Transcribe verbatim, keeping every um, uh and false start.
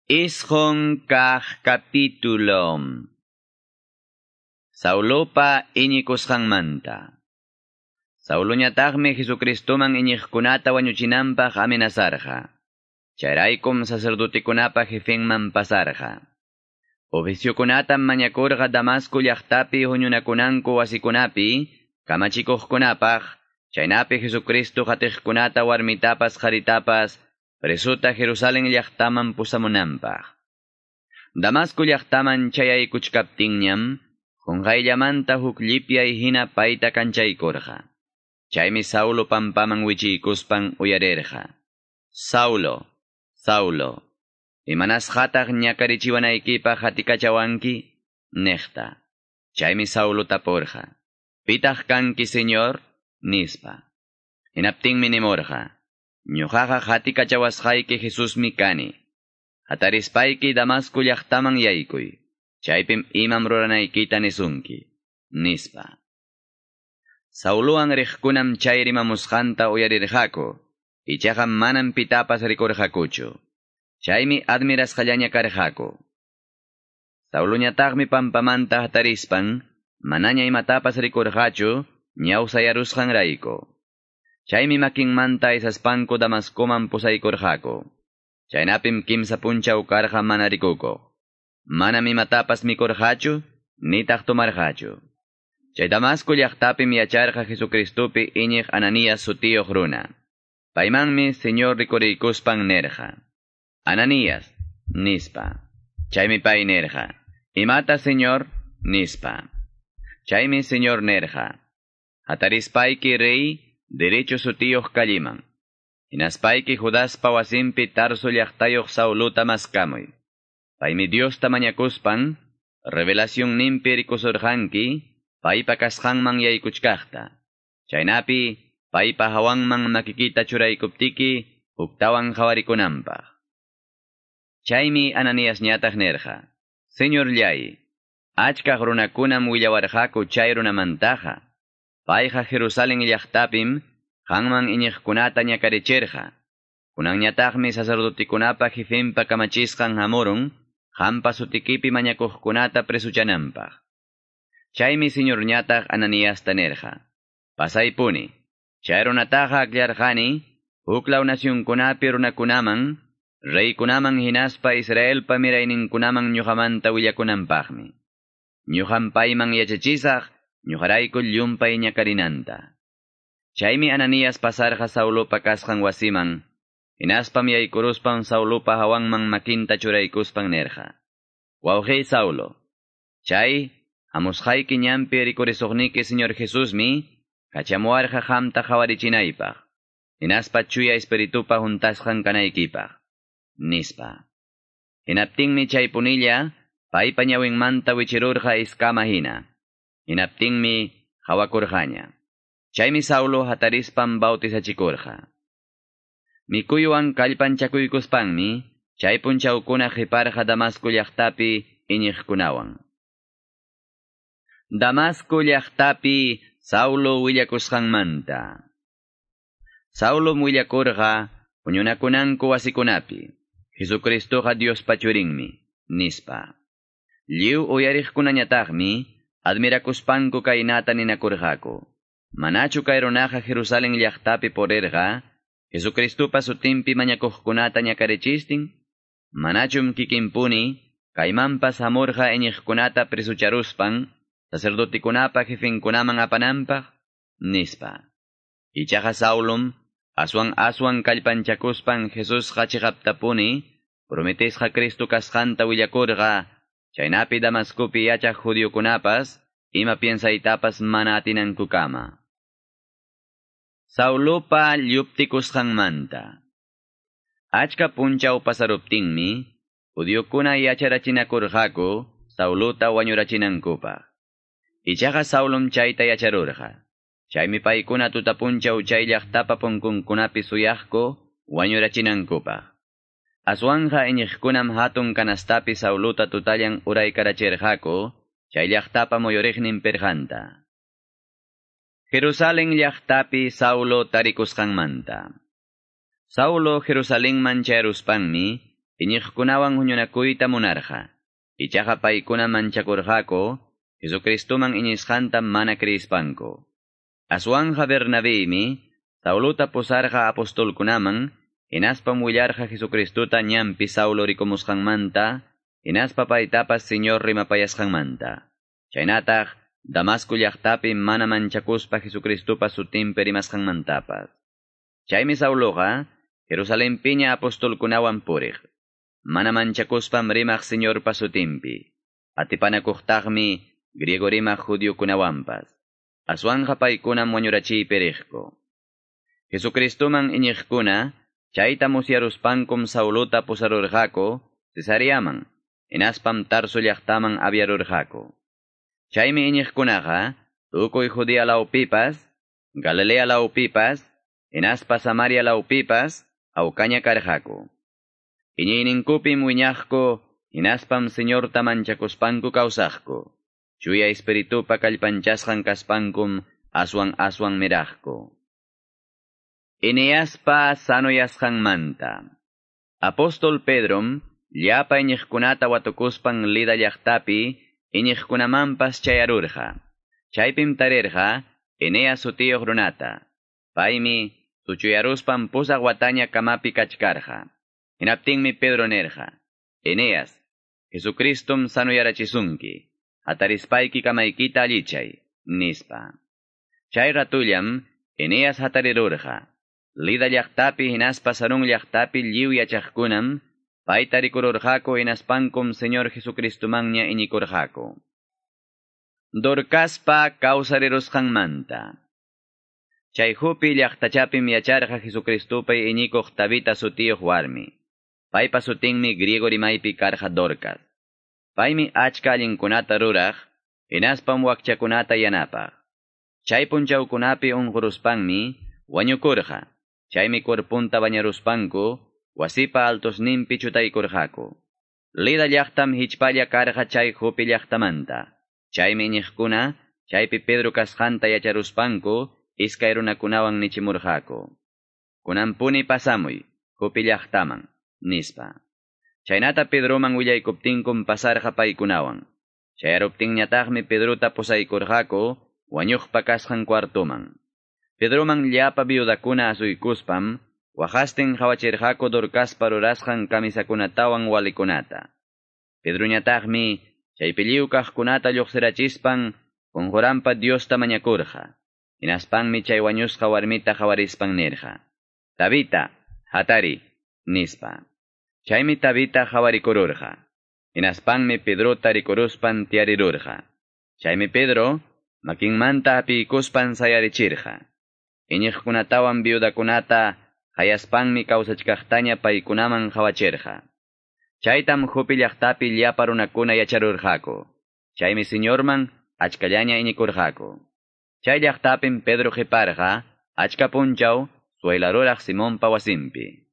Isqun kaq capítulo. Saulopa iñikusqanmanta. Sauloñataqmi Jesucristoman iñiqkunata wañuchinanpaq amenazarqa. Chayraykum sacerdotekunapa jefenman pasarqa. Oficiokunatam mañakurqa Damasco llaqtapi huñunakunanku wasikunapi, kamachikuqkunapaq, chaynapi Jesucristo qatiqkunata warmitapas qaritapas, presuta Jerusalén llaqtaman pusamunanpaq. Damasco llaqtaman chayaykuchkaptinñam, qunqayllamanta huk llipyay hina payta kanchaykurqa. Chaymi Saulo pampaman wichiykuspan uyarirqa. Saulo, Saulo, imanasqataq ñakarichiwanaykipaq hatikachawanki? Niqta. Chaymi Saulo tapurqa. Pitaq kanki, Señor? Nispa. Hinaptinmi nimurqa. Ñuqaqa hatikachawasqayki Jesusmi kani. Hatarispayki Damasco llaqtaman yaykuy. Chaypim imam ruranaykita nisunki. Nispa. Saulowan riqkunam chay rimamusqanta uyarirqaku. Ichaqa manam pitapas rikurqakuchu. Chaymi admirasqallaña karqaku. Sauloñataqmi pampamanta hatarispan, manaña imatapas rikurqachu, ñawsayarusqanrayku. Chaymi makinmanta aysaspanku Damascoman pusaykurqaku. Chaynapim kimsa punchaw karqa mana rikukuq. Manam imatapas mikurqachu, nitaq tomarqachu. Chay Damasco llaqtapim yacharqa Jesucristopi iñiq Ananías sutiyuq runa. Paymanmi Señor rikuriykuspan nerqa. Ananías, nispa. Chaymi pay nerqa. Imata, Señor, nispa. Chaymi Señor nerqa. Hatarispayki rey, derecho sutiyuq calliman. Hinaspayki Judaspa wasinpi Tarso llaqtayuq Sauluta maskamuy. Paymi Diosta mañakuspan, revelación ninpi rikusurqanki, paypa kasqanman yaykuchkaqta. Chaynapi, paypa hawanman makikita churaykuptiki, huktawan qhawarikunanpaq. Chaymi Ananíasñataq nirqa. Señorllay, achkaq runakunam willawarqaku chay runamantaqa. Payqa Jerusalén llaqtapim, qanman iñiqkunata ñakarichirqa. Kunanñataqmi sacerdotekunapa jefenpa kamachisqan hamurun, qampa sutikipi mañakuqkunata presuchananpaq. Chaymi Señorñataq Ananiasta nirqa. Pasaypuni, chay runataqa akllarqani, huklaw nacionkunapi runakunaman, reykunaman hinaspa Israelpa mirayninkunaman ñuqamanta willakunanpaqmi. Ñuqam payman yachachisaq, ñuqarayku llumpay ñakarinanta. Chaymi Ananías pasarqa Saulopa kasqan wasiman, hinaspam yaykuruspan Saulopa hawanman makinta churaykuspan nirqa. Wawqiy Saulo, chay hamusqayki ñanpi rikurisuqniki Señor Jesusmi, kachamuwarqa qamta qawarichinaypaq, hinaspa chuya espiritupa huntasqan kanaykipaq, nispa. Hinaptinmi chay punilla, paypa ñawinmanta wichirurqa iskama hina. Hinaptinmi qawakurqaña. Chaymi Saulo hatarispan bautizachikurqa. Mikuywan kallpanchakuykuspanmi, chay punchawkuna qiparqa Damasco llaqtapi iñiqkunawan. Damasco llaqtapi Saulo willakusqanmanta. Saulo willakurqa huñunakunanku wasikunapi. Jesucristoqa Diospa churinmi, nispa. Lliw uyariqkunañataqmi admirakuspanku kaynata ninakurqaku. Manachu kay runaqa Jerusalén llaqtapi purirqa, Jesucristopa sutinpi mañakuqkunata ñakarichistin? Manachum kikinpuni, kaymanpas hamurqa iñiqkunata presucharuspan, sacerdotekunapa jefenkunaman apananpaq, nispa. Ichaqa Saulum, aswan aswan kallpanchakuspan Jesusqa chiqaptapuni, prometesqa Cristo kasqanta willakurqa, chaynapi Damascopi yachaq judiokunapas, ima piensaytapas mana atinankukama. Saulopa lluptikusqanmanta. Achka punchaw pasaruptinmi, judiokuna yacharachinakurqaku Saulota wañurachinankupaq. Ichaqa Saulom chayta yacharurqa. Chaymi paykuna tutapunchaw chay llaqtapa punkunkunapi suyaqku wañurachinankupaq. Aswanja iñiqkunam hatun kanastapi Saulota tutallan uraykarachirqaku, chay llaqtapa muyuriqnin pirqanta. Jerusalén llaqtapi Saulo tarikusqanmanta. Saulo Jerusalenman chayruspanmi, iñiqkunawan huñunakuyta munarqa. Ichaqa paykuna manchakurqaku, Jesucristoman iñisqanta mana creispanku. Aswanja Bernabémi, Saulota pusarqa apostolkunaman, hinaspam willarqa Jesucristota ñanpi Saulo rikumusqanmanta, hinaspa paytapas Señor rimapayasqanmanta. Chaynataq, Damasco llaqtapi mana manchakuspa Jesucristopa sutinpi rimasqanmantapas. Chaymi Sauloqa, Jerusalempiña apostolkunawan puriq. Mana manchakuspam rimaq Señorpa sutinpi. Atipanakuqtaqmi griego rimaq judiokunawanpas. Aswanja paykunam wañurachiypi riqku. Jesucristoman iñiqkuna, chayta musyaruspankum Saulota pusarurqaku Cesareaman, hinaspam Tarso llaqtaman aviarurqaku. Chaymi iñiqkunaqa, tukuy Judea lawpipas, Galilea lawpipas, hinaspa Samaria lawpipas, awkaña karqaku. Iñiyninkupim wiñaqku, hinaspam Señorta manchakuspanku kawsaqku. Chuya Espiritupa kallpanchasqan kaspankum aswan aswan miraqku. Eneaspa sanoyasqanmanta. Apóstol Pedrom llapa iñiqkunata watukuspan Lida llaqtapi iñiqkunamanpas chayarurqa. Chaypim tarirqa Eneas sutiyuq runata. Paymi suchuyaruspan pusaq wataña kamapi kachkarqa. Hinaptinmi Pedro nirqa: Eneas, Jesucristom sanoyarachisunki. Hatarispayki kamaykita allichay, nispa. Chay ratullam Eneas hatarirurqa. Lida llaqtapi hinaspa Sarón llaqtapi lliw yachaqkunam payta rikururqaku hinaspankum Señor Jesucristomanña iñikurqaku. Dorcaspa kawsarirusqanmanta. Chay Jope llaqtachapim yacharqa Jesucristopi iñikuq Tabita sutiyuq warmi. Paypa sutinmi griego rimaypi karqa Dorcas. Paymi achka allinkunata ruraq, hinaspam wakchakunata yanapaq. Chay punchawkunapi unquruspanmi wañukurqa. Chaymi cuerpunta bañaruspanku, wasipa altosninpi chutaykurqaku. Lida llaqtam hichpalla karqa chay Jope llaqtamanta. Chaymi iñiqkuna, chaypi Pedro kasqanta yacharuspanku, iskay runakunawan nichimurqaku. Kunanpuni pasamuy, Jope llaqtaman, nispa. Chaynata Pedroman willaykuptinkum pasarqa paykunawan. Chayaruptinñataqmi Pedrota pusaykurqaku, wañuqpa kasqan cuartoman. Pedroman llapa viudakuna asuykuspam, waqastin qhawachirqaku Dorcaspa rurasqan kamisakunatawan walikunata. Pedroñataqmi chaypi lliw kaqkunata lluqsirachispan qunquranpa Diosta mañakurqa. Hinaspanmi chay wañusqa warmita qhawarispan nirqa: Tabita, hatari, nispa. Chaymi Tabita qhawarikururqa. Hinaspanmi Pedrota rikuruspan tiyarirurqa. Chaymi Pedro makinmanta hapiykuspan sayarichirqa. Iñiqkunatawan viudakunata hayaspanmi kawsachkaqtaña paykunaman qhawachirqa. Chaytam Jope llaqtapi llapa runakuna yacharurqaku. Chaymi Señorman achkallaña iñikurqaku. Chay llaqtapim Pedro qiparqa achka punchaw suelaruraq Simonpa wasinpi.